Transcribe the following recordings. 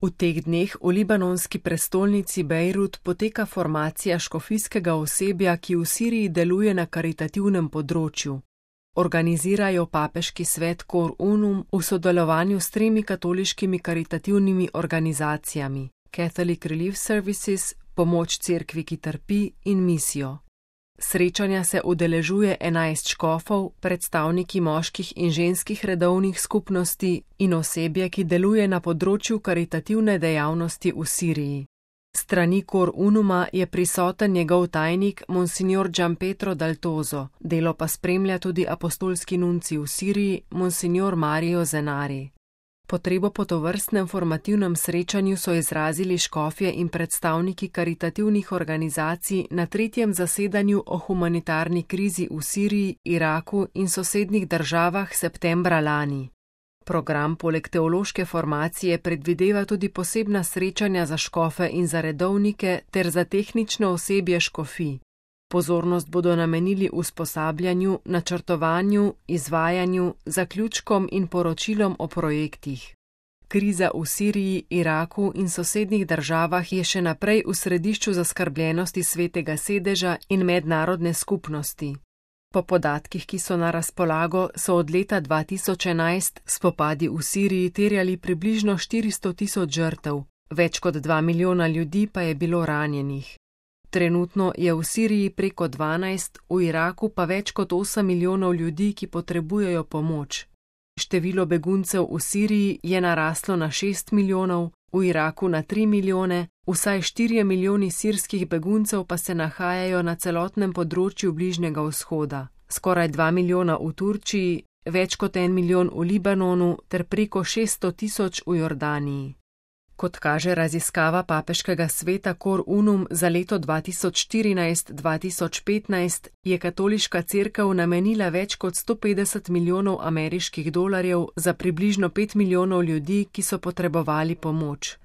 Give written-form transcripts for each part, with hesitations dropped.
V teh dneh v libanonski prestolnici Bejrut poteka formacija škofijskega osebja, ki v Siriji deluje na karitativnem področju. Organizirajo papeški svet Cor Unum v sodelovanju s 3 katoliškimi karitativnimi organizacijami: Catholic Relief Services, Pomoč cerkvi, ki trpi in Misijo. Srečanja se udeležuje 11 škofov, predstavniki moških in ženskih redovnih skupnosti in osebje, ki deluje na področju karitativne dejavnosti v Siriji. Strani Cor Unuma je prisoten njegov tajnik Monsignor Gianpietro Daltozo, delo pa spremlja tudi apostolski nuncij v Siriji Monsignor Mario Zenari. Potrebo po tovrstnem formativnem srečanju so izrazili škofje in predstavniki karitativnih organizacij na 3. zasedanju o humanitarni krizi v Siriji, Iraku in sosednjih državah septembra lani. Program poleg teološke formacije predvideva tudi posebna srečanja za škofe in za redovnike ter za tehnično osebje škofij. Pozornost bodo namenili usposabljanju, načrtovanju, izvajanju, zaključkom in poročilom o projektih. Kriza v Siriji, Iraku in sosednjih državah je še naprej v središču zaskrbljenosti Svetega sedeža in mednarodne skupnosti. Po podatkih, ki so na razpolago, so od leta 2011 spopadi v Siriji terjali približno 400.000 žrtev, več kot 2 milijona ljudi pa je bilo ranjenih. Trenutno je v Siriji preko 12, v Iraku pa več kot 8 milijonov ljudi, ki potrebujejo pomoč. Število beguncev v Siriji je naraslo na 6 milijonov, v Iraku na 3 milijone, vsaj 4 milijoni sirskih beguncev pa se nahajajo na celotnem področju Bližnjega vzhoda, skoraj 2 milijona v Turčiji, več kot 1 milijon v Libanonu ter preko 600.000 v Jordaniji. Kot kaže raziskava papeškega sveta Cor Unum za leto 2014-2015, je katoliška cerkev namenila več kot 150 milijonov ameriških dolarjev za približno 5 milijonov ljudi, ki so potrebovali pomoč.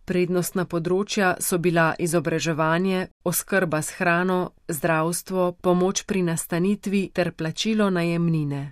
Prednostna področja so bila izobraževanje, oskrba s hrano, zdravstvo, pomoč pri nastanitvi ter plačilo najemnine.